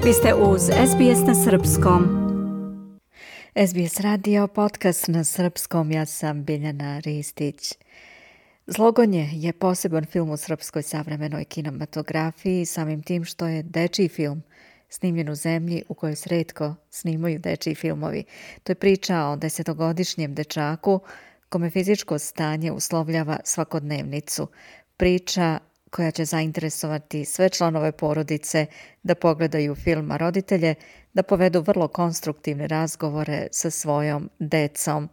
Vi ste uz SBS na Srpskom. SBS radio, podcast na Srpskom, ja sam Biljana Ristić. Zlogonje je poseban film u srpskoj savremenoj kinematografiji, samim tim što je dečiji film snimljen u zemlji u kojoj se retko snimaju dečiji filmovi. To je priča o 10-godišnjem dečaku kome fizičko stanje uslovljava svakodnevnicu. Priča koja će zainteresovati sve članove porodice da pogledaju film, a roditelje da povedu vrlo konstruktivne razgovore sa svojom decom.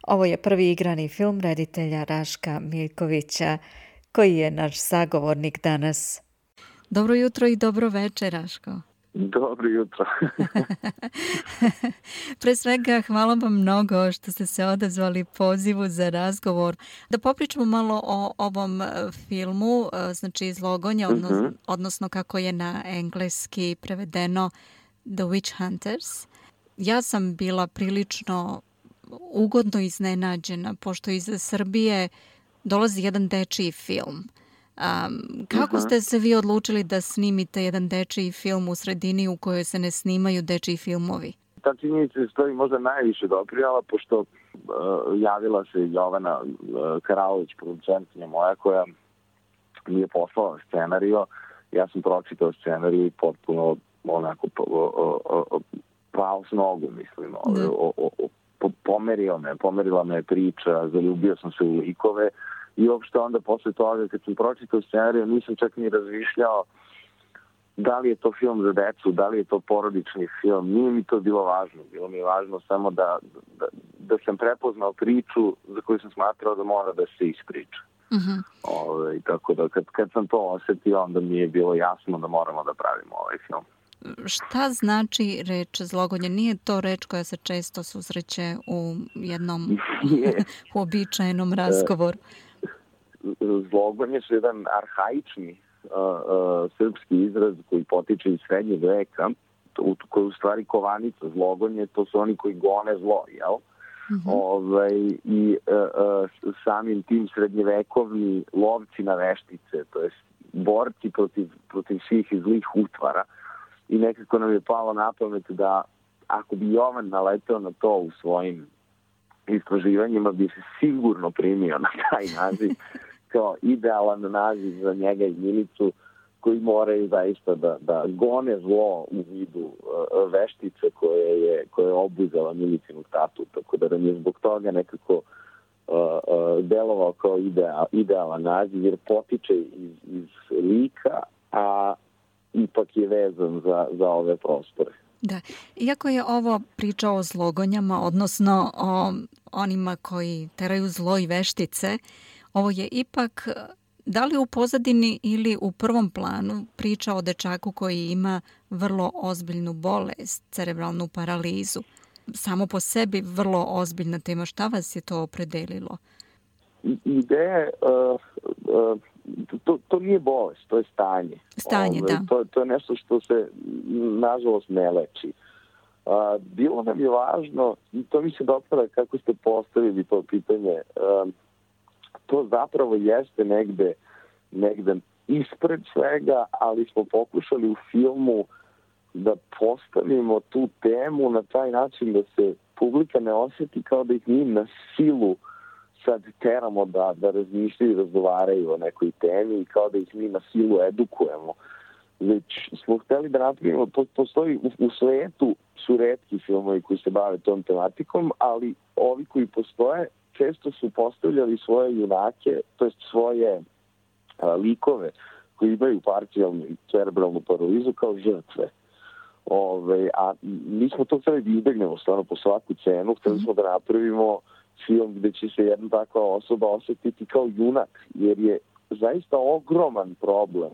Ovo je prvi igrani film reditelja Raška Miljkovića, koji je naš sagovornik danas. Dobro jutro i dobro večer, Raško. Dobro jutro. Pre svega, hvala vam mnogo što ste se odazvali pozivu za razgovor. Da popričamo malo o ovom filmu, znači Zlogonje, odnosno kako je na engleski prevedeno The Witch Hunters. Ja sam bila prilično ugodno iznenađena, pošto iz Srbije dolazi jedan dečiji film. Kako ste se vi odlučili da snimite jedan dečiji film u sredini u kojoj se ne snimaju dečiji filmovi? Ta činjenica je stoji možda najviše doprinala, pošto javila se Jovana Karalović, producentkinja moja, koja mi je poslala scenario. Ja sam pročitao scenariju i potpuno onako pao s nogu, mislim. Pomerila me priča, zaljubio sam se u likove. I uopšte onda posle toga, kad sam pročitao scenariju, nisam čak ni razmišljao da li je to film za decu, da li je to porodični film. Nije mi to bilo važno. Bilo mi je važno samo da sam prepoznao priču za koju sam smatrao da mora da se ispriča. Tako da kad sam to osetio, onda mi je bilo jasno da moramo da pravimo ovaj film. Šta znači reč zlogonje? Nije to reč koja se često susreće u jednom uobičajenom razgovoru? Zlogonje su jedan arhaični srpski izraz koji potiče iz srednjeg veka, koji je u stvari kovanica. Zlogonje, to su oni koji gone zlo, jel? I samim tim srednjevekovni lovci na veštice, to je borci protiv svih zlih utvara. I nekako nam je palo na pamet da ako bi Jovan naleteo na to u svojim istraživanjima, bi se sigurno primio na taj naziv kao idealan naziv za njega i Milicu, koji moraju zaista da gone zlo u vidu veštice koje je obuzela Milicinu tatu. Tako da nam je zbog toga nekako delovao kao idealan naziv, jer potiče iz lika, a ipak je vezan za ove prostore. Da, iako je ovo priča o zlogonjama, odnosno o onima koji teraju zlo i veštice, ovo je ipak, da li u pozadini ili u prvom planu, priča o dečaku koji ima vrlo ozbiljnu bolest, cerebralnu paralizu. Samo po sebi vrlo ozbiljna tema. Šta vas je to opredelilo? Ideja to nije bolest, to je stanje. Stanje, da. To je nešto što se, nažalost, ne leči. Bilo nam je važno, i to mi se dopada kako ste postavili to pitanje, to zapravo jeste negde ispred svega, ali smo pokušali u filmu da postavimo tu temu na taj način da se publika ne osjeti kao da ih mi na silu sad teramo da razmišljaju i razgovaraju o nekoj temi i kao da ih mi na silu edukujemo. Već smo hteli da napravimo, postoji u svetu su retki filmovi koji se bave tom tematikom, ali ovi koji postoje često su postavljali svoje junake, to jest svoje likove koji imaju parcijalnu i cerebralnu paralizu kao žrtve. A mi smo to hteli da izbegnemo stvarno po svaku cenu, hteli smo da napravimo film gde će se jedna takva osoba osjetiti kao junak, jer je zaista ogroman problem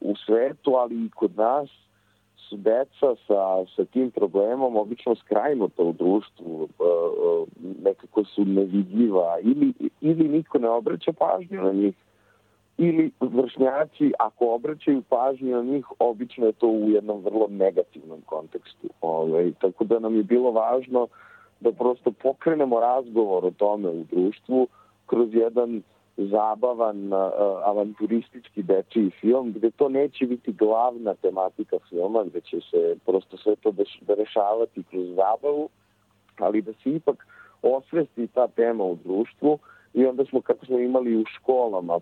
u svetu, ali i kod nas su deca sa tim problemom obično skrajnuta u društvu, nekako su nevidljiva ili niko ne obraća pažnju na njih, ili vršnjaci ako obraćaju pažnju na njih, obično je to u jednom vrlo negativnom kontekstu. Tako da nam je bilo važno da prosto pokrenemo razgovor o tome u društvu kroz jedan zabavan, avanturistički dečiji film, gde to neće biti glavna tematika filma, gde će se prosto sve to rešavati kroz zabavu, ali da se ipak osvesti ta tema u društvu. I onda smo, kako smo imali u školama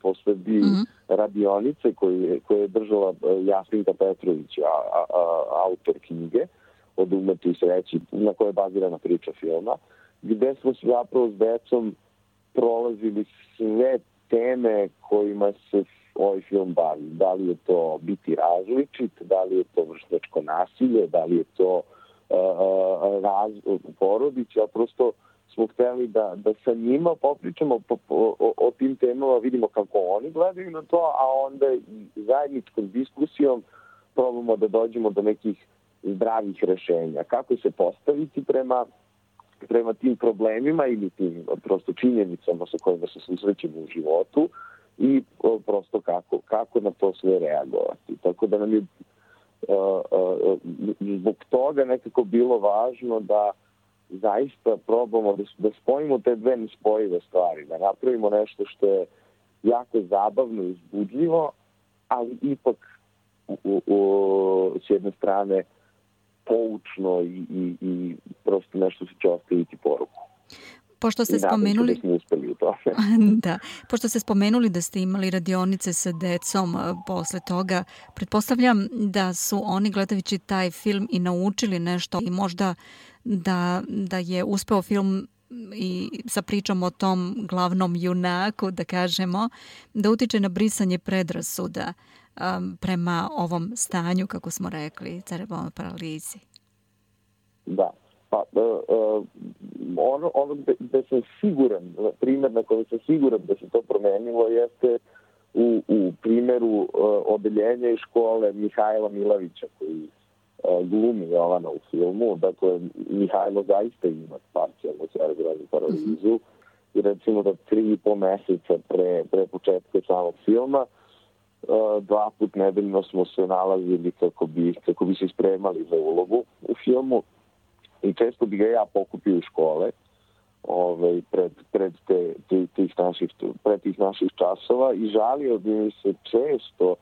po Srbiji radionice koje je držala Jasminka Petrović, autor knjige Od umetu i sreći, na kojoj je bazirana priča filma, gde smo zapravo s decom prolazili sve teme kojima se ovaj film bavi. Da li je to biti različit, da li je to vršnjačko nasilje, da li je to u porodici, a prosto smo hteli da sa njima popričamo o tim temama, vidimo kako oni gledaju na to, a onda i zajedničkom diskusijom probamo da dođemo do nekih zdravih rešenja. Kako se postaviti prema tim problemima ili tim prosto činjenicama sa kojima se susrećemo u životu i prosto kako na to sve reagovati. Tako da nam je zbog toga nekako bilo važno da zaista probamo da spojimo te dve nespojive stvari, da napravimo nešto što je jako zabavno i uzbudljivo, ali ipak s jedne strane poučno i prosto nešto što će ostaviti poruku. Pošto ste spomenuli... Da smo uspeli u tome. Da. Pošto ste spomenuli da ste imali radionice sa decom posle toga, pretpostavljam da su oni gledajući taj film i naučili nešto i možda da je uspeo film i sa pričom o tom glavnom junaku, da kažemo, da utiče na brisanje predrasuda prema ovom stanju, kako smo rekli, cerebralnoj paralizi. Da. Pa, ono gde sam siguran, primjer na kojem sam siguran da se to promenilo jeste u primjeru odeljenja i škole Mihajla Milavića koji glumi Jovana u filmu. Dakle, Mihajlo zaista ima parcijalnu cerebralnu paralizu i recimo da 3,5 meseca pre početka samog filma 2 put nedeljno smo se nalazili kako bi se spremali za ulogu u filmu. I često bi ga ja pokupio u škole pred tih naših časova i žalio bi mi se često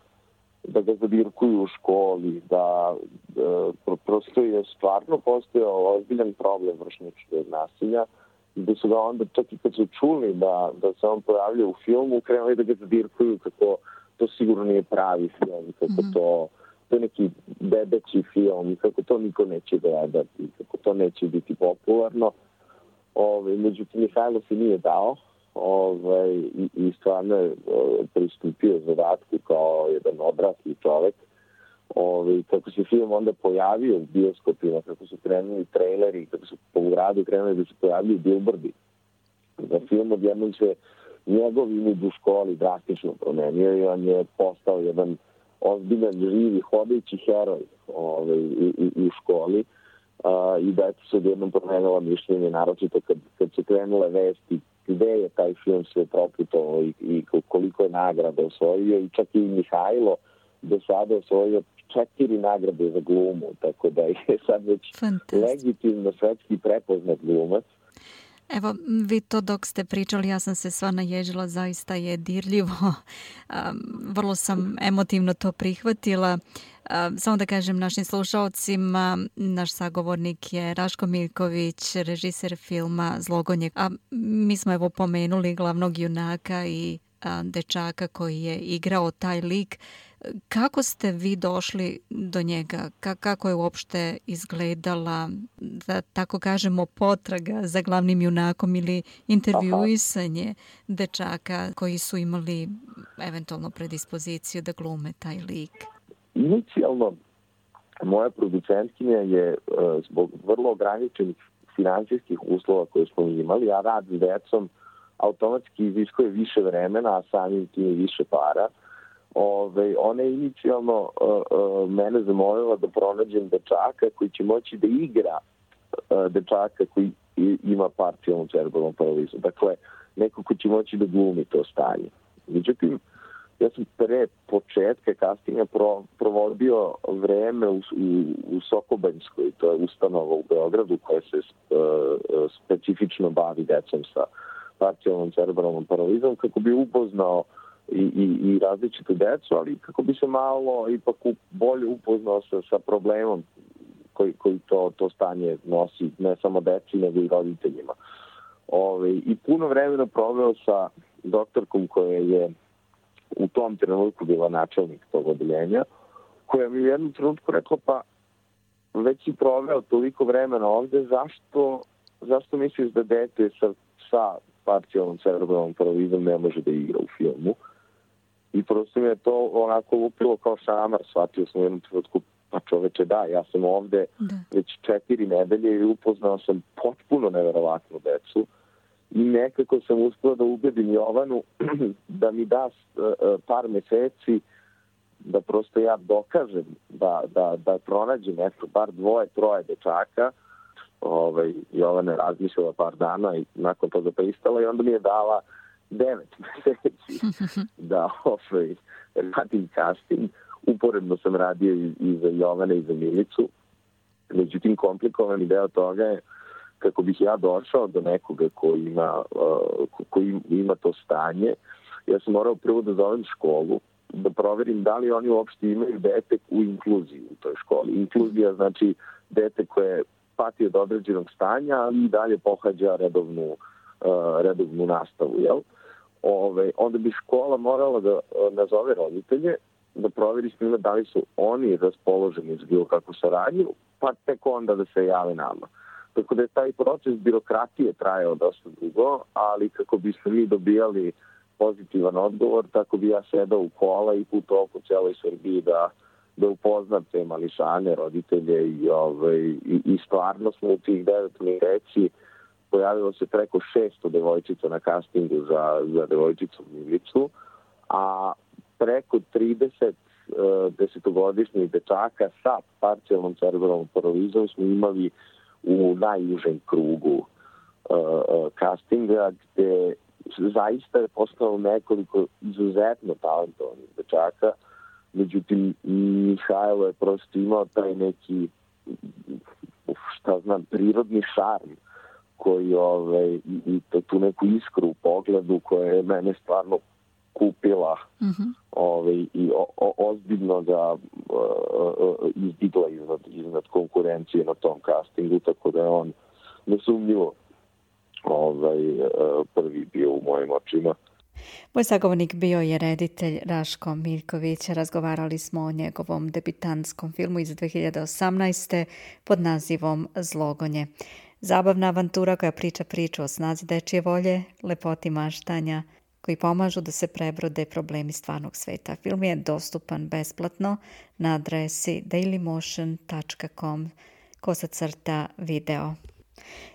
da ga zadirkuju u školi, da prosto je stvarno postojao ozbiljan problem vršnjačkog nasilja i da su ga onda čak i kad su čuli da se on pojavlja u filmu, krenuli da ga zadirkuju kako to sigurno nije pravi film, kako to je neki bebeći film, kako to niko neće gledati, kako to neće biti popularno. Međutim, Mihajlo se nije dao i stvarno je pristupio zadatku kao jedan odrasli čovek. Kako se film onda pojavio u bioskopima, kako su krenuli traileri, kako su po gradu krenuli da se pojavljaju bilbordi. Za film odjednom se njegov imidž u školi drastično promenio i on je postao jedan ozbiljan, živi, hodajući heroj u školi i da se odjednom promenila mišljenje, naročito kad su krenule vesti gde je taj film sve proputovao i koliko je nagrada osvojio i čak i Mihajlo do sada osvojio 4 nagrade za glumu, tako da je sad već legitimno svetski prepoznat glumac. Evo, vi to dok ste pričali, ja sam se sva naježila, zaista je dirljivo. Vrlo sam emotivno to prihvatila. Samo da kažem našim slušalcima, naš sagovornik je Raško Miljković, režiser filma Zlogonje. A mi smo evo pomenuli glavnog junaka i dečaka koji je igrao taj lik. Kako ste vi došli do njega? Kako je uopšte izgledala, da tako kažemo, potraga za glavnim junakom ili intervjuisanje dečaka koji su imali eventualno predispoziciju da glume taj lik? Inicijalno, moja producentkinja je zbog vrlo ograničenih finansijskih uslova koje smo imali, a rad s decom automatski iziskuje više vremena, a samim tim više para. Ona je inicijalno mene zamolila da pronađem dečaka koji će moći da igra dečaka koji ima parcijalnu cerebralnu paralizu. Dakle, neko ko će moći da glumi to stanje. Međutim, ja sam pre početka castinga provodio vreme u Sokobanjskoj, to je ustanova u Beogradu koja se specifično bavi decom sa parcijalnom cerebralnom paralizmom, kako bi upoznao i različitu decu, ali kako bi se malo ipak bolje upoznao sa problemom koji to stanje nosi, ne samo deci, nego i roditeljima. I puno vremena proveo sa doktorkom koja je u tom trenutku bila načelnik tog odeljenja, koja mi u jednom trenutku rekla, pa već si proveo toliko vremena ovde, zašto misliš da dete sa parcijalnom cerebralnom paralizmom ne može da igra u filmu? I prosto mi je to onako lupilo kao šamar, shvatio sam u jednom trenutku, pa čoveče da, ja sam ovde već 4 nedelje i upoznao sam potpuno neverovatnu decu i nekako sam uspio da ubedim Jovanu da mi da par meseci da prosto ja dokažem da pronađem nešto, bar 2-3 dečaka. Jovana je razmišljala par dana i nakon toga pristala i onda mi je dala 9 meseci da radim casting. Uporedno sam radio i za Jovane i za Milicu. Međutim, komplikovani deo toga je kako bih ja došao do nekoga koji ima to stanje. Ja sam morao prvo da zovem školu, da proverim da li oni uopšte imaju dete u inkluziji u toj školi. Inkluzija znači dete koje pati od određenog stanja, ali i dalje pohađa redovnu nastavu, jel? Onda bi škola morala da nazove roditelje, da proveri s njima da li su oni raspoloženi za bilo kakvu saradnju, pa tek onda da se jave nama. Tako da je taj proces birokratije trajao dosta dugo, ali kako bismo mi dobijali pozitivan odgovor, tako bi ja sedao u kola i putovao po celoj Srbiji da upoznam te mališane, roditelje i stvarno smo u tih 9 meseci pojavilo se preko 600 devojčica na castingu za devojčicu Milicu, a preko 30 desetogodišnjih dečaka sa parcijalnom cerebralnom paralizmom smo imali u najužem krugu castinga, gde zaista je postalo nekoliko izuzetno talentovanih dečaka. Međutim, Mihajlo je prosto imao taj neki, prirodni šarm koji i tu neku iskru u pogledu koja je mene stvarno kupila i ozbiljno ga izdigla iznad konkurencije na tom castingu, tako da je on nesumnjivo prvi bio u mojim očima. Moj sagovornik bio je reditelj Raško Miljković. Razgovarali smo o njegovom debitantskom filmu iz 2018. pod nazivom Zlogonje. Zabavna avantura koja priča priču o snazi dečje volje, lepoti maštanja, koji pomažu da se prebrode problemi stvarnog sveta. Film je dostupan besplatno na adresi dailymotion.com/video.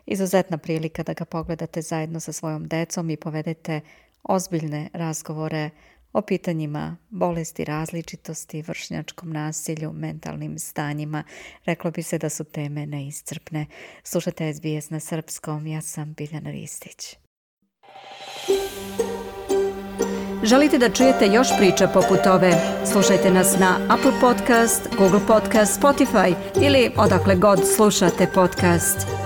Izuzetna prilika da ga pogledate zajedno sa svojom decom i povedete ozbiljne razgovore o pitanjima bolesti, različitosti, vršnjačkom nasilju, mentalnim stanjima. Reklo bi se da su teme neiscrpne. Slušate SBS na srpskom, ja sam Biljana Ristić. Želite da čujete još priča poput ove? Slušajte nas na Apple Podcast, Google Podcast, Spotify ili odakle god slušate podcast.